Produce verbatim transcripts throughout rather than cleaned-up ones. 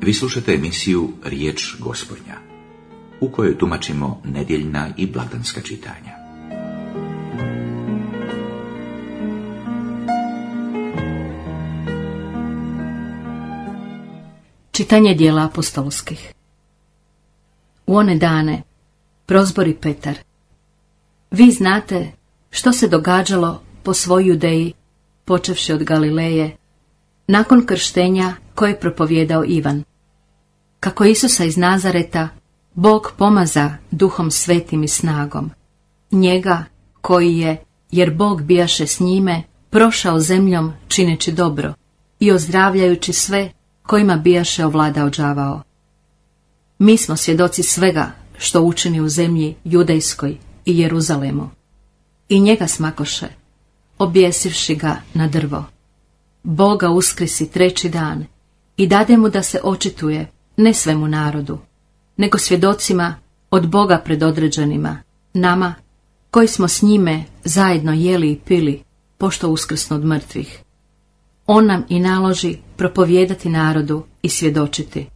Vi slušate emisiju Riječ Gospodnja, u kojoj tumačimo nedjeljna i blagdanska čitanja. Čitanje dijela apostolskih. U one dane prozbori Petar: Vi znate što se događalo po svoj Judeji, počevši od Galileje, nakon krštenja koje je propovjedao Ivan. Kako Isusa iz Nazareta Bog pomaza duhom svetim i snagom, njega koji je, jer Bog bijaše s njime, prošao zemljom čineći dobro i ozdravljajući sve kojima bijaše ovladao đavao. Mi smo svjedoci svega što učini u zemlji Judejskoj i Jeruzalemu. I njega smakoše, objesivši ga na drvo. Boga uskrisi treći dan i dade mu da se očituje ne svemu narodu, nego svjedocima od Boga predodređenima, nama koji smo s njime zajedno jeli i pili, pošto uskrsnu od mrtvih. On nam i naloži propovijedati narodu i svjedočiti: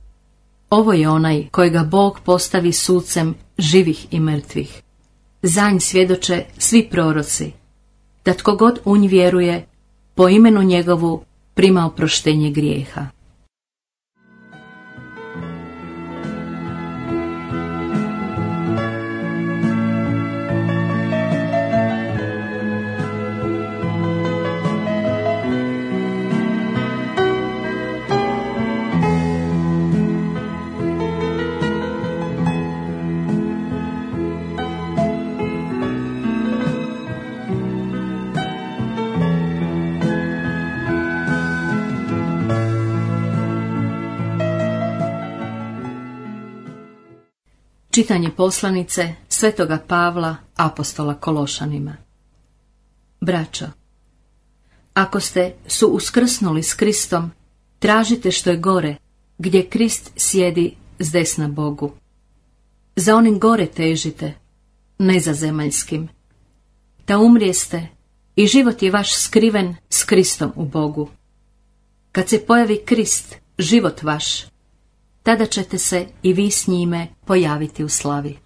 Ovo je onaj kojega Bog postavi sucem živih i mrtvih. Za nj svjedoče svi proroci, da tko god u nj vjeruje, po imenu njegovu prima oproštenje grijeha. Čitanje poslanice Svetoga Pavla apostola Kološanima. Braćo, ako ste su uskrsnuli s Kristom, tražite što je gore, gdje Krist sjedi s desna Bogu. Za onim gore težite, ne za zemaljskim. Da umrijeste i život je vaš skriven s Kristom u Bogu. Kad se pojavi Krist, život vaš, tada ćete se i vi s njime pojaviti u slavi.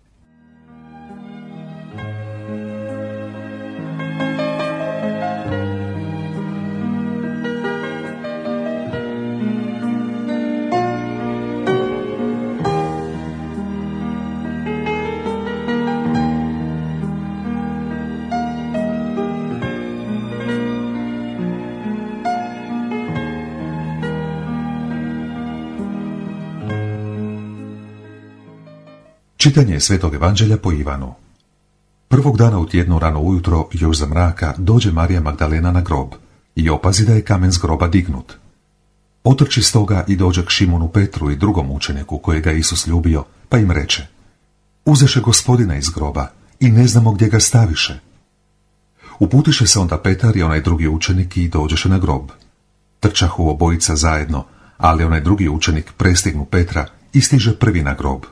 Čitanje Svetog Evanđelja po Ivanu. Prvog dana u tjednu rano ujutro, još za mraka, dođe Marija Magdalena na grob i opazi da je kamen s groba dignut. Otrči stoga i dođe k Šimunu Petru i drugom učeniku kojega je Isus ljubio, pa im reče: Uzeše Gospodina iz groba i ne znamo gdje ga staviše. Uputiše se onda Petar i onaj drugi učenik i dođeše na grob. Trčahu obojica zajedno, ali onaj drugi učenik prestignu Petra i stiže prvi na grob.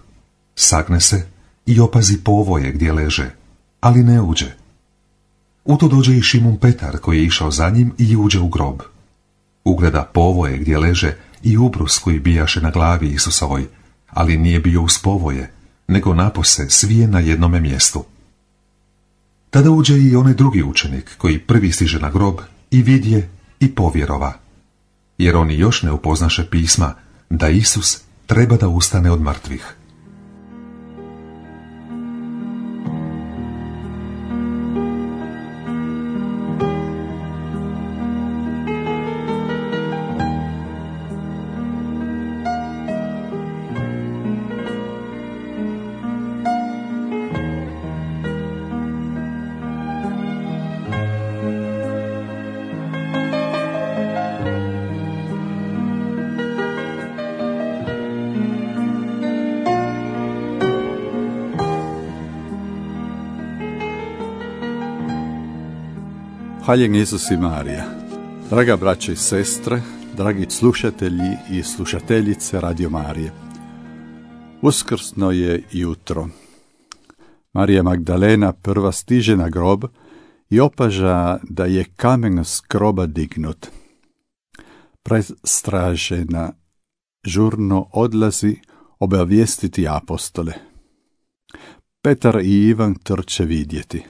Sagne se i opazi povoje gdje leže, ali ne uđe. U to dođe i Šimun Petar koji je išao za njim i uđe u grob. Ugleda povoje gdje leže i ubrus koji bijaše na glavi Isusovoj, ali nije bio uz povoje, nego napose svije na jednome mjestu. Tada uđe i onaj drugi učenik koji prvi stiže na grob i vidje i povjerova, jer oni još ne upoznaše pisma da Isus treba da ustane od mrtvih. Hvaljen Isus i Marija. Draga braće i sestre, dragi slušatelji i slušateljice Radio Marije. Uskrsno je jutro. Marija Magdalena prva stiže na grob i opaža da je kamen s groba dignut. Prestražena žurno odlazi obavijestiti apostole. Petar i Ivan trče vidjeti.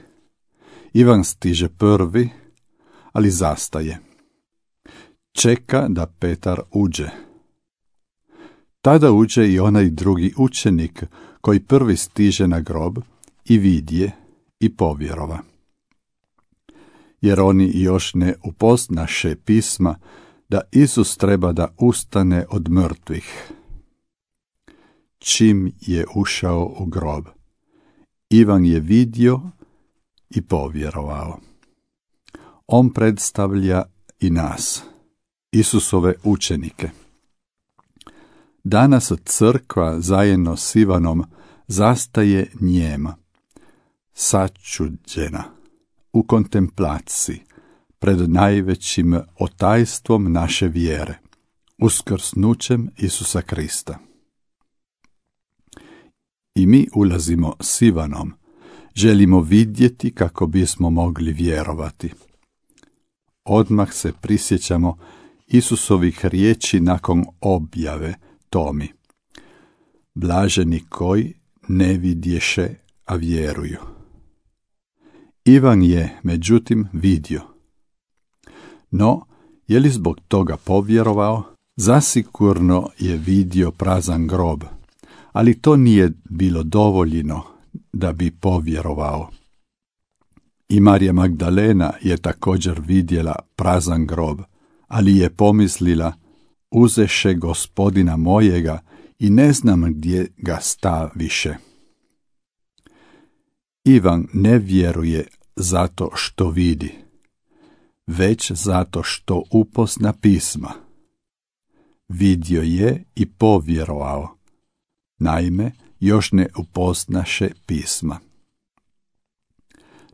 Ivan stiže prvi, ali zastaje. Čeka da Petar uđe. Tada uđe i onaj drugi učenik koji prvi stiže na grob i vidje i povjerova. Jer oni još ne upoznaše pisma da Isus treba da ustane od mrtvih. Čim je ušao u grob, Ivan je vidio i povjerovao. On predstavlja i nas, Isusove učenike. Danas crkva zajedno s Ivanom zastaje njema, sačuđena, u kontemplaciji, pred najvećim otajstvom naše vjere, uskrsnućem Isusa Krista. I mi ulazimo s Ivanom, želimo vidjeti kako bismo mogli vjerovati. Odmah se prisjećamo Isusovih riječi nakon objave Tomi. Blaženi koji ne vidješe, a vjeruju. Ivan je, međutim, vidio. No, je li zbog toga povjerovao? Zasigurno je vidio prazan grob, ali to nije bilo dovoljno da bi povjerovao. I Marija Magdalena je također vidjela prazan grob, ali je pomislila, uzeše Gospodina mojega i ne znam gdje ga staviše. Ivan ne vjeruje zato što vidi, već zato što upozna pisma. Vidio je i povjerovao, naime, još ne upoznaše pisma.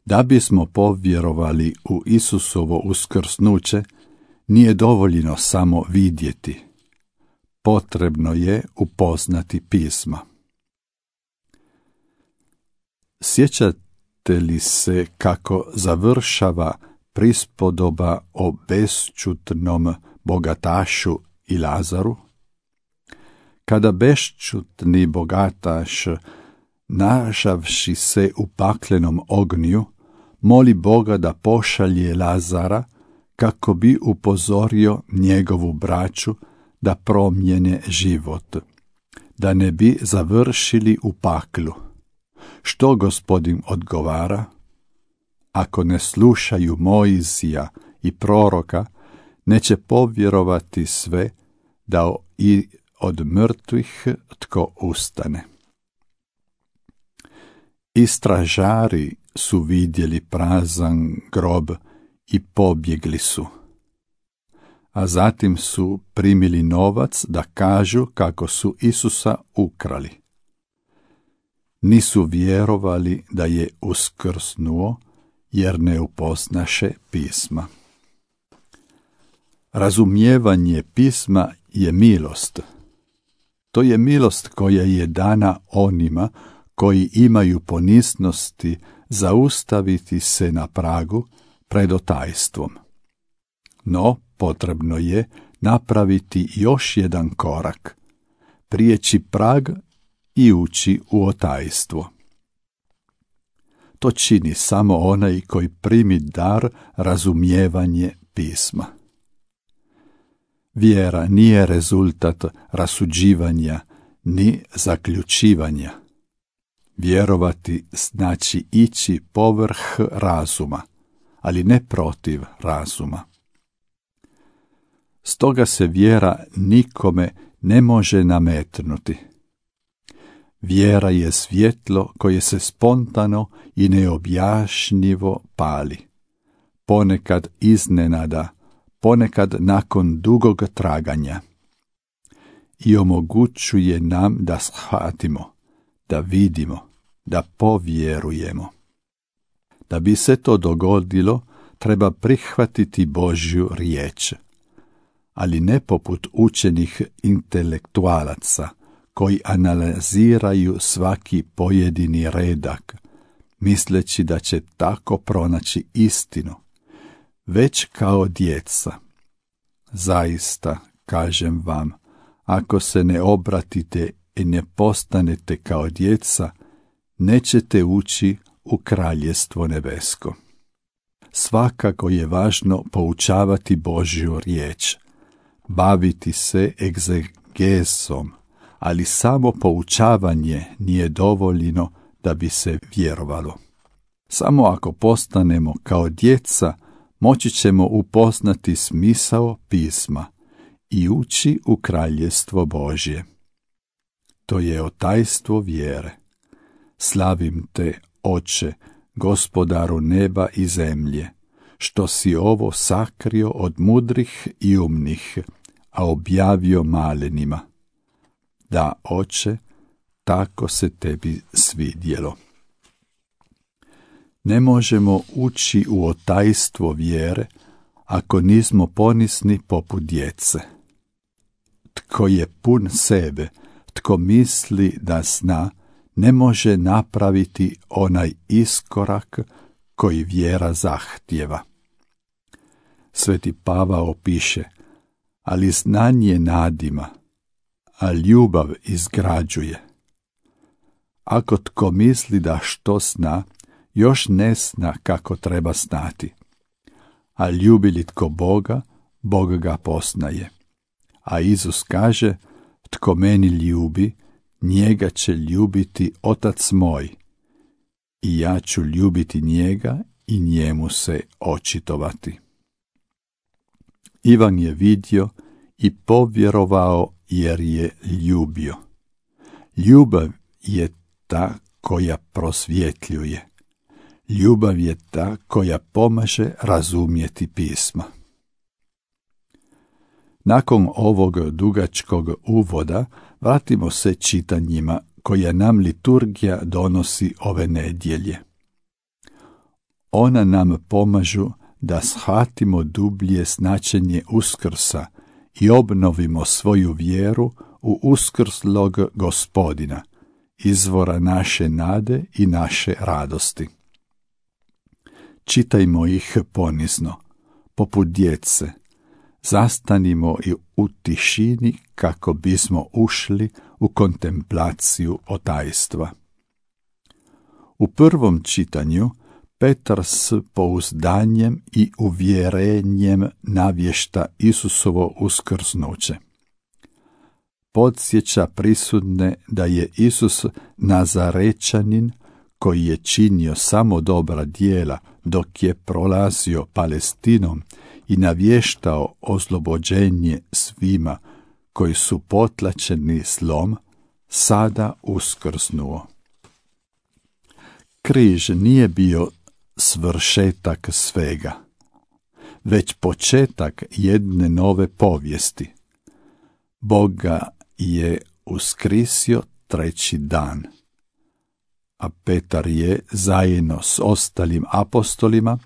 Da bismo povjerovali u Isusovo uskrsnuće, nije dovoljno samo vidjeti. Potrebno je upoznati pisma. Sjećate li se kako završava prispodoba o bešćutnom bogatašu i Lazaru? Kada bešćutni bogataš, našavši se u paklenom ognju, moli Boga da pošalje Lazara kako bi upozorio njegovu braću da promijene život, da ne bi završili u paklu. Što Gospodin odgovara? Ako ne slušaju Mojsija i proroka, neće povjerovati sve da i od mrtvih tko ustane. Istražari su vidjeli prazan grob i pobjegli su. A zatim su primili novac da kažu kako su Isusa ukrali. Nisu vjerovali da je uskrsnuo, jer ne upoznaše pisma. Razumijevanje pisma je milost. To je milost koja je dana onima koji imaju poniznosti zaustaviti se na pragu pred otajstvom. No, potrebno je napraviti još jedan korak, prijeći prag i ući u otajstvo. To čini samo onaj koji primi dar razumijevanje pisma. Vjera nije rezultat rasuđivanja ni zaključivanja. Vjerovati znači ići povrh razuma, ali ne protiv razuma. Stoga se vjera nikome ne može nametnuti. Vjera je svjetlo koje se spontano i neobjašnjivo pali. Ponekad iznenada, ponekad nakon dugog traganja. I omogućuje nam da shvatimo, da vidimo, da povjerujemo. Da bi se to dogodilo, treba prihvatiti Božju riječ. Ali ne poput učenih intelektualaca, koji analiziraju svaki pojedini redak, misleći da će tako pronaći istinu, već kao djeca. Zaista, kažem vam, ako se ne obratite i ne postanete kao djeca, nećete ući u kraljestvo nebesko. Svakako je važno poučavati Božju riječ, baviti se egzegesom, ali samo poučavanje nije dovoljno da bi se vjerovalo. Samo ako postanemo kao djeca, moći ćemo upoznati smisao pisma i ući u kraljestvo Božje. To je otajstvo vjere. Slavim te, Oče, Gospodaru neba i zemlje, što si ovo sakrio od mudrih i umnih, a objavio malenima. Da, Oče, tako se tebi svidjelo. Ne možemo ući u otajstvo vjere ako nismo ponisni poput djece. Tko je pun sebe, tko misli da zna, ne može napraviti onaj iskorak koji vjera zahtjeva. Sveti Pavao piše, ali znanje nadima, a ljubav izgrađuje. Ako tko misli da što zna, još ne zna kako treba znati. A ljubi li tko Boga, Bog ga poznaje. A Isus kaže, tko meni ljubi, njega će ljubiti Otac moj, i ja ću ljubiti njega i njemu se očitovati. Ivan je vidio i povjerovao jer je ljubio. Ljubav je ta koja prosvjetljuje. Ljubav je ta koja pomaže razumjeti pisma. Nakon ovog dugačkog uvoda vratimo se čitanjima koja nam liturgija donosi ove nedjelje. Ona nam pomažu da shvatimo dublje značenje Uskrsa i obnovimo svoju vjeru u uskrslog Gospodina, izvora naše nade i naše radosti. Čitajmo ih ponizno, poput djece. Zastanimo i u tišini kako bismo ušli u kontemplaciju otajstva. U prvom čitanju Petar s pouzdanjem i uvjerenjem navješta Isusovo uskrsnuće. Podsjeća prisutne da je Isus Nazarečanin koji je činio samo dobra djela dok je prolazio Palestinom i navještao oslobođenje svima koji su potlačeni zlom, sada uskrsnuo. Križ nije bio svršetak svega, već početak jedne nove povijesti. Bog ga je uskrisio treći dan, a Petar je zajedno s ostalim apostolima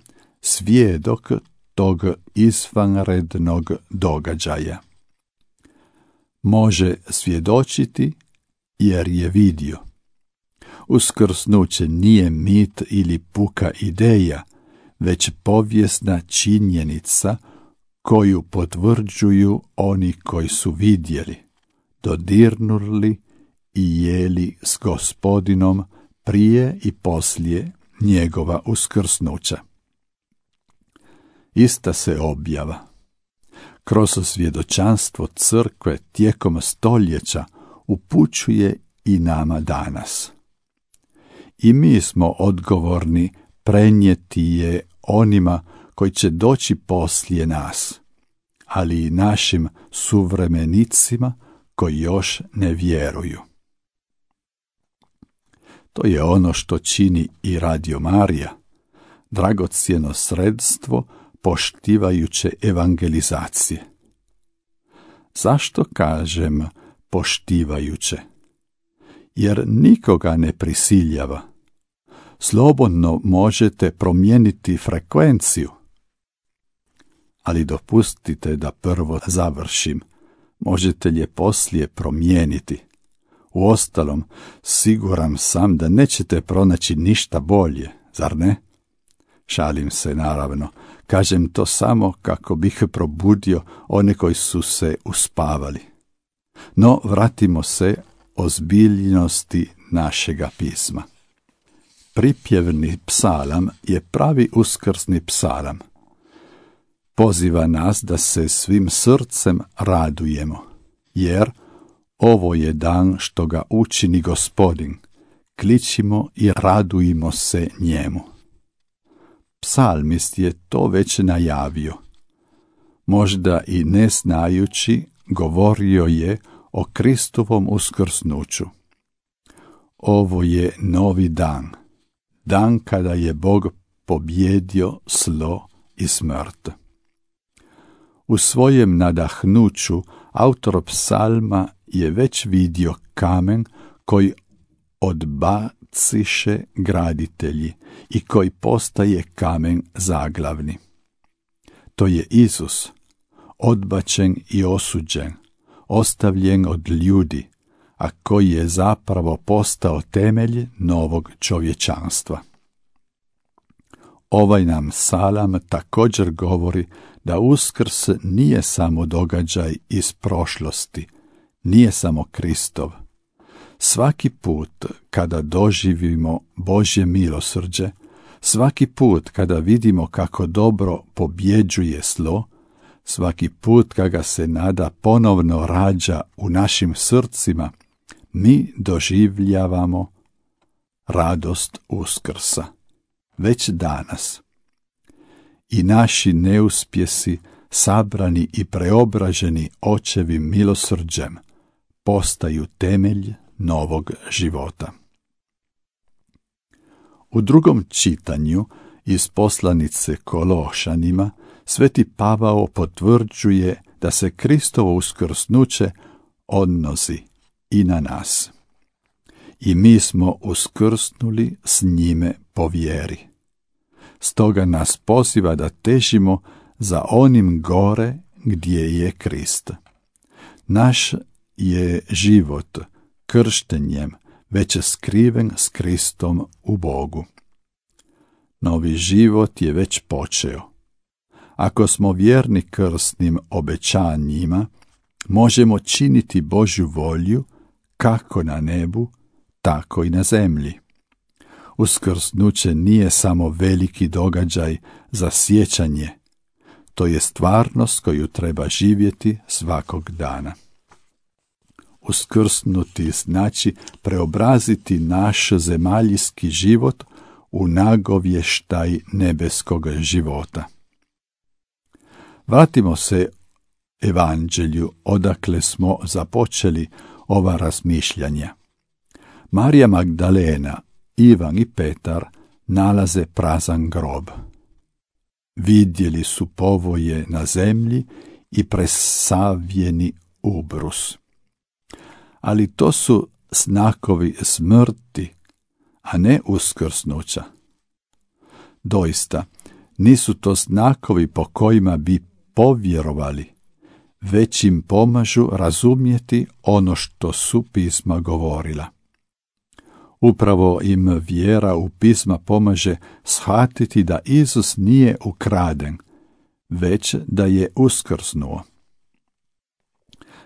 svjedok tog izvanrednog događaja. Može svjedočiti jer je vidio. Uskrsnuće nije mit ili puka ideja, već povijesna činjenica koju potvrđuju oni koji su vidjeli, dodirnuli i jeli s Gospodinom prije i poslije njegova uskrsnuća. Ista se objava kroz svjedočanstvo crkve tijekom stoljeća upućuje i nama danas. I mi smo odgovorni prenijeti je onima koji će doći poslije nas, ali i našim suvremenicima koji još ne vjeruju. To je ono što čini i Radio Marija, dragocjeno sredstvo poštivajuće evangelizacije. Zašto kažem poštivajuće? Jer nikoga ne prisiljava. Slobodno možete promijeniti frekvenciju. Ali dopustite da prvo završim. Možete je poslije promijeniti. Uostalom, siguran sam da nećete pronaći ništa bolje, zar ne? Šalim se, naravno. Kažem to samo kako bih probudio one koji su se uspavali. No, vratimo se ozbiljnosti našega pisma. Pripjevni psalam je pravi uskrsni psalam. Poziva nas da se svim srcem radujemo, jer ovo je dan što ga učini Gospodin, kličimo i radujmo se njemu. Psalmist je to već najavio. Možda i ne znajući, govorio je o Kristovom uskrsnuću. Ovo je novi dan, dan kada je Bog pobjedio zlo i smrt. U svojem nadahnuću autor psalma je već vidio kamen koji odbaciše graditelji i koji postaje kamen zaglavni. To je Isus, odbačen i osuđen, ostavljen od ljudi, a koji je zapravo postao temelj novog čovječanstva. Ovaj nam psalam također govori da Uskrs nije samo događaj iz prošlosti, nije samo Kristov. Svaki put kada doživimo Božje milosrđe, svaki put kada vidimo kako dobro pobjeđuje zlo, svaki put kada se nada ponovno rađa u našim srcima, mi doživljavamo radost Uskrsa. Već danas. I naši neuspjesi, sabrani i preobraženi Očevim milosrđem, postaju temelj novog života. U drugom čitanju iz poslanice Kološanima Sveti Pavao potvrđuje da se Kristovo uskrsnuće odnosi i na nas. I mi smo uskrsnuli s njime po vjeri. Stoga nas poziva da težimo za onim gore gdje je Krist. Naš je život krštenjem već skriven s Kristom u Bogu. Novi život je već počeo. Ako smo vjerni krstnim obećanjima, možemo činiti Božju volju kako na nebu, tako i na zemlji. Uskrsnuće nije samo veliki događaj za sjećanje, to je stvarnost koju treba živjeti svakog dana. Uskrsnuti znači preobraziti naš zemaljski život u nagovještaj nebeskog života. Vratimo se evanđelju odakle smo započeli ova razmišljanja. Marija Magdalena, Ivan i Petar nalaze prazan grob. Vidjeli su povoje na zemlji i presavljeni ubrus. Ali to su znakovi smrti, a ne uskrsnuća. Doista, nisu to znakovi po kojima bi povjerovali, već im pomažu razumjeti ono što su pisma govorila. Upravo im vjera u pisma pomaže shvatiti da Isus nije ukraden, već da je uskrsnuo.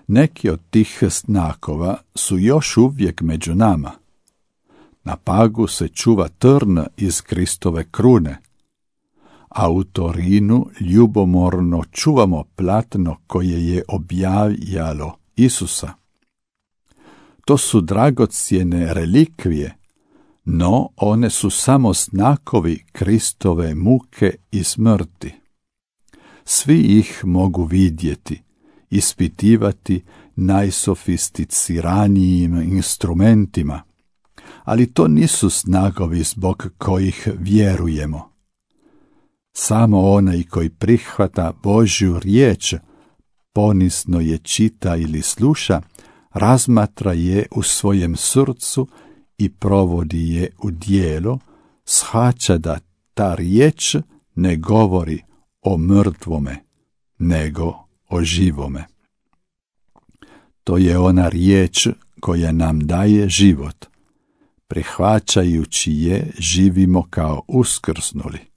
Neki od tih znakova su još uvijek među nama. Na pagu se čuva trn iz Kristove krune, a u Torinu ljubomorno čuvamo platno koje je objavljalo Isusa. To su dragocjene relikvije, no one su samo znakovi Kristove muke i smrti. Svi ih mogu vidjeti, ispitivati najsofisticiranijim instrumentima, ali to nisu znakovi zbog kojih vjerujemo. Samo onaj koji prihvata Božju riječ, ponizno je čita ili sluša, razmatra je u svojem srcu i provodi je u djelo, shvaća da ta riječ ne govori o mrtvome, nego o živome. To je ona riječ koja nam daje život. Prihvaćajući je, živimo kao uskrsnuli.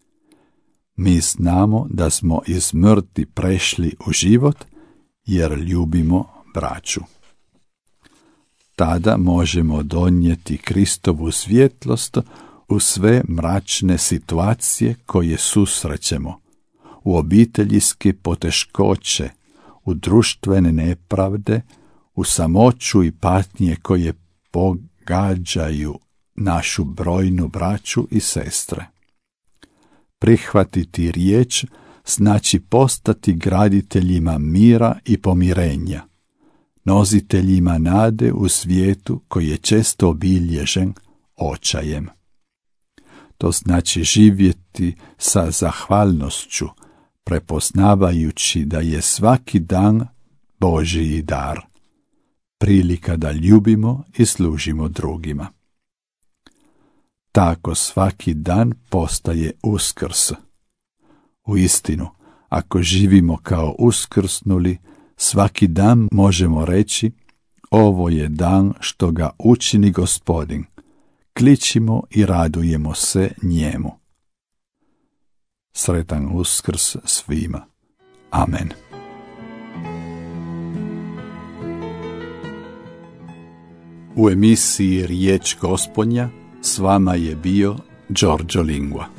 Mi znamo da smo iz smrti prešli u život, jer ljubimo braću. tada možemo donijeti Kristovu svjetlost u sve mračne situacije koje susrećemo, u obiteljske poteškoće, u društvene nepravde, u samoću i patnje koje pogađaju našu brojnu braću i sestre. Prihvatiti riječ znači postati graditeljima mira i pomirenja, nositeljima nade u svijetu koji je često obilježen očajem. To znači živjeti sa zahvalnošću, prepoznavajući da je svaki dan Božji dar, prilika da ljubimo i služimo drugima. Tako svaki dan postaje Uskrs. Uistinu, ako živimo kao uskrsnuli, svaki dan možemo reći: ovo je dan što ga učini Gospodin, kličimo i radujemo se njemu. Sretan Uskrs svima. Amen. U emisiji Riječ Gospodnja s vama je bio Giorgio Lingua.